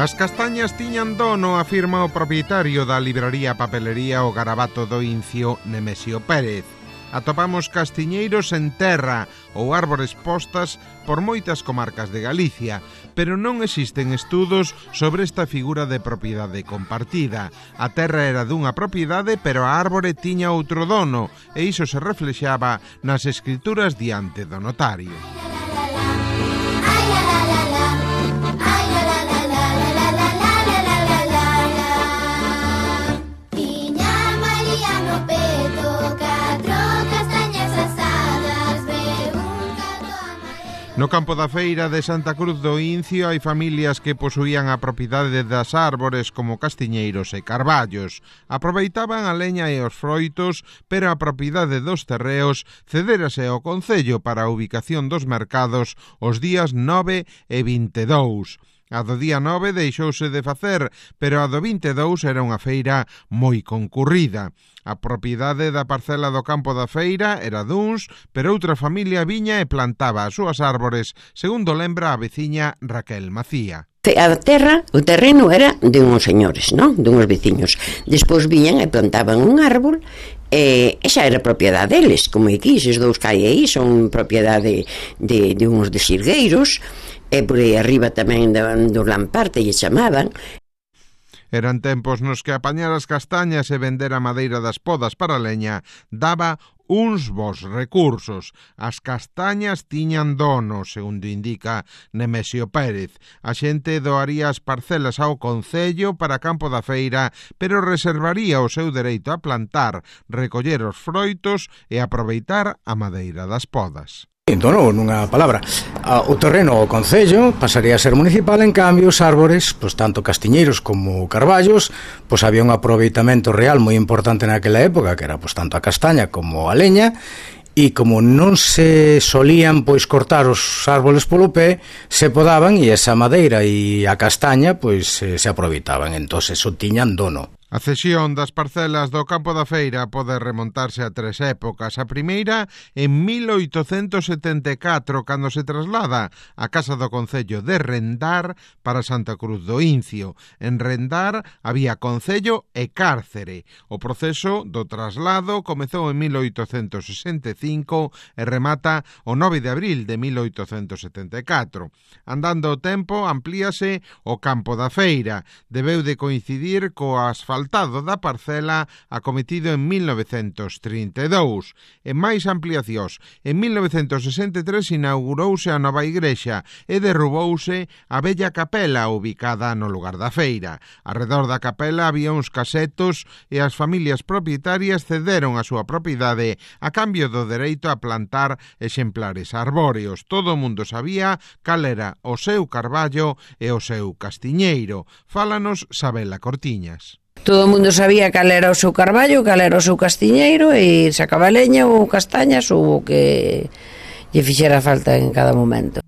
As castañas tiñan dono, afirma o propietario da libraría Papelería O Garabato do Incio, Nemesio Pérez. Atopamos castiñeiros en terra ou árbores postas por moitas comarcas de Galicia, pero non existen estudos sobre esta figura de propiedade compartida. A terra era dunha propiedade, pero a árbore tiña outro dono, e iso se reflexaba nas escrituras diante do notario. No campo da feira de Santa Cruz do Incio hai familias que posuían a propiedade das árbores como castiñeiros e carballos. Aproveitaban a leña e os froitos, pero a propiedade dos terreos cedérase ao concello para a ubicación dos mercados os días 9 e 22. A do día 9 deixouse de facer, pero a do 22 era unha feira moi concurrida. A propiedade da parcela do campo da feira era duns, pero outra familia viña e plantaba as súas árbores, segundo lembra a veciña Raquel Macía. A terra, o terreno era de uns señores, non? De uns veciños. Despois viñan e plantaban un árbol e xa era propiedade deles, como aquí, eses dous que hai aí son propiedade de uns de xirgueiros, e por aí arriba tamén do Lamparte lle chamaban. Eran tempos nos que apañar as castañas e vender a madeira das podas para leña daba uns bons recursos. As castañas tiñan dono, segundo indica Nemesio Pérez. A xente doaría as parcelas ao concello para campo da feira, pero reservaría o seu dereito a plantar, recoller os froitos e aproveitar a madeira das podas. Dono, nunha palabra, o terreno ao concello pasaría a ser municipal, en cambio os árbores, pois tanto castiñeiros como carballos, pois había un aproveitamento real moi importante naquela época, que era pois tanto a castaña como a leña, e como non se solían pois cortar os árboles polo pé, se podaban e esa madeira e a castaña pois se aproveitaban, entón eso tiñan dono. A cesión das parcelas do campo da feira pode remontarse a tres épocas. A primeira, en 1874, cando se traslada a Casa do Concello de Rendar para Santa Cruz do Incio. En Rendar había concello e cárcere. O proceso do traslado comezou en 1865 e remata o 9 de abril de 1874. Andando o tempo, amplíase o campo da feira. Debeu de coincidir co asfaltado da parcela acometido en 1932. En máis ampliacións, en 1963 inaugurouse a nova igrexa e derrubouse a bella capela ubicada no lugar da feira. Arredor da capela había uns casetos e as familias propietarias cederon a súa propiedade a cambio do dereito a plantar exemplares arbóreos. Todo o mundo sabía cal era o seu carballo e o seu castiñeiro. Fálanos Sabela Cortiñas. Todo o mundo sabía cal era o seu carballo, cal era o seu castiñeiro, e sacaba leña ou castañas ou o que lle fixera falta en cada momento.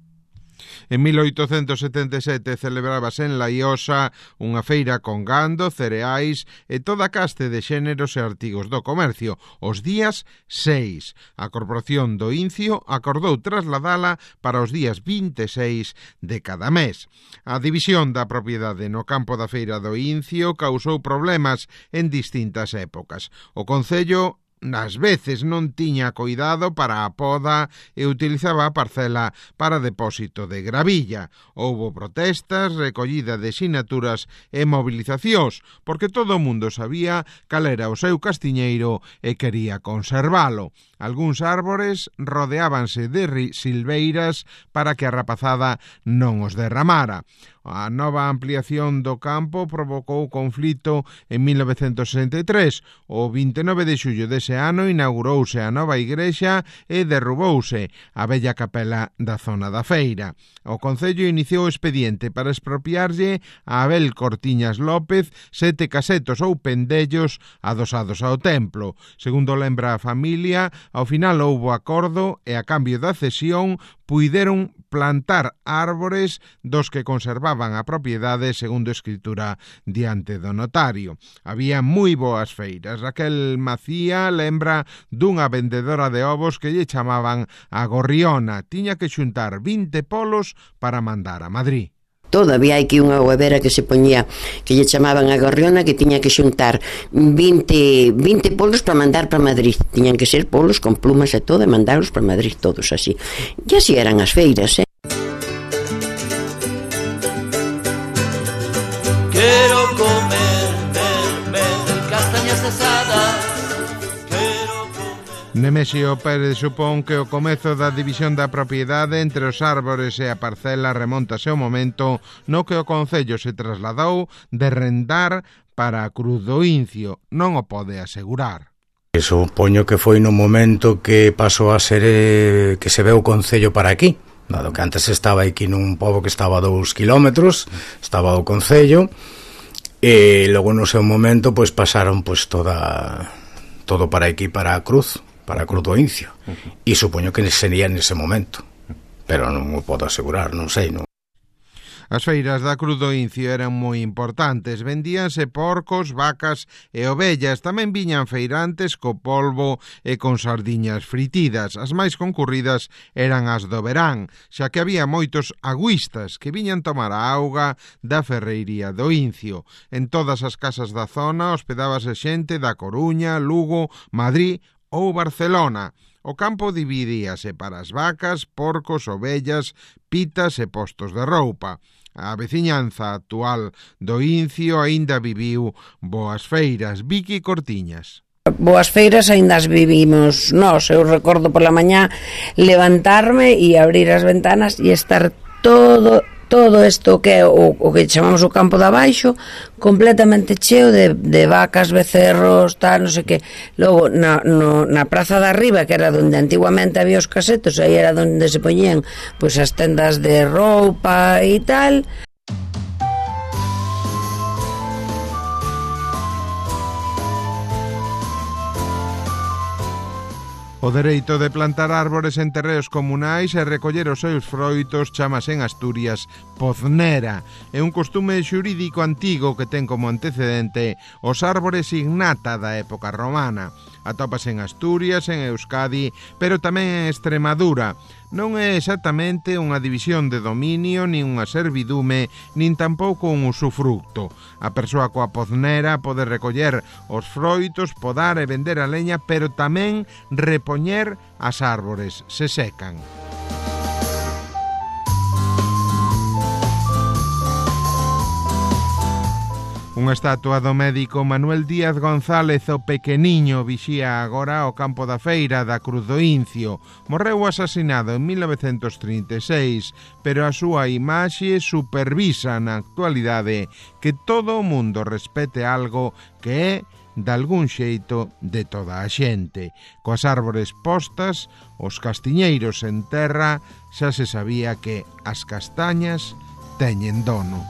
En 1877 celebrábase en Laiosa unha feira con gando, cereais e toda caste de xéneros e artigos do comercio, os días 6. A Corporación do Incio acordou trasladala para os días 26 de cada mes. A división da propiedade no campo da feira do Incio causou problemas en distintas épocas. O concello nas veces non tiña coidado para a poda e utilizaba a parcela para depósito de gravilla. Houbo protestas, recollida de sinaturas e movilizacións, porque todo o mundo sabía cal era o seu castiñeiro e quería conservalo. Algúns árbores rodeábanse de silveiras para que a rapazada non os derramara. A nova ampliación do campo provocou conflito en 1963. O 29 de xullo dese ano inaugurouse a nova igrexa e derrubouse a bella capela da zona da feira. O Concello iniciou o expediente para expropiarlle a Abel Cortiñas López 7 casetos ou pendellos adosados ao templo. Segundo lembra a familia, ao final houbo acordo e a cambio da cesión puideron plantar árbores dos que conservaban a propiedade segundo escritura diante do notario. Había moi boas feiras. Raquel Macía lembra dunha vendedora de ovos que lle chamaban a Gorriona. Tiña que xuntar 20 polos para mandar a Madrid. todo. Había aquí unha huevera que se poñía, que lle chamaban a gorriona, que tiña que xuntar 20 polos para mandar para Madrid. Tiñan que ser polos con plumas e todo, e mandarlos para Madrid todos así. E así eran as feiras, Quero comer, castañas asadas. Nemesio Pérez supón que o comezo da división da propiedade entre os árbores e a parcela remontase ao momento no que o concello se trasladou de Rendar para a Cruz do Incio. Non o pode asegurar. Supoño que foi no momento que pasou a ser que se ve o concello para aquí, dado que antes estaba aquí nun pobo que estaba a 2 kilómetros, estaba o concello, e logo no seu momento pois pasaron pois todo para aquí, para a Cruz do Incio, e supoño que sería nese momento, pero non o podo asegurar, non sei, non. As feiras da Cruz do Incio eran moi importantes, vendíanse porcos, vacas e ovellas, tamén viñan feirantes co polvo e con sardiñas fritidas. As máis concurridas eran as do verán, xa que había moitos agüistas que viñan tomar a auga da ferreiría do Incio. En todas as casas da zona hospedábase xente da Coruña, Lugo, Madrid ou Barcelona. O campo dividíase para as vacas, porcos, ovellas, pitas e postos de roupa. A veciñanza actual do Incio aínda viviu boas feiras. Vicky Cortiñas. Boas feiras aínda as vivimos nós. Eu recordo pola mañá levantarme e abrir as ventanas e estar todo isto que é o que chamamos o campo de abaixo completamente cheo de vacas, becerros, tal, non sei que. Logo na praza de arriba, que era onde antiguamente había os casetos, aí era onde se poñían pois as tendas de roupa e tal. O dereito de plantar árbores en terreos comunais e recoller os seus froitos chamase en Asturias poznera. É un costume xurídico antigo que ten como antecedente os árbores ignata da época romana. Atópase en Asturias, en Euskadi, pero tamén en Extremadura. Non é exactamente unha división de dominio, nin unha servidume, nin tampouco un usufructo. A persoa coa poznera pode recoller os froitos, podar e vender a leña, pero tamén repoñer as árbores, se secan. Unha estatua do médico Manuel Díaz González o Pequeniño vixía agora o campo da feira da Cruz do Incio. Morreu asasinado en 1936, pero a súa imaxe supervisa na actualidade que todo o mundo respete algo que é de algún xeito de toda a xente. Coas árbores postas, os castiñeiros en terra, xa se sabía que as castañas teñen dono.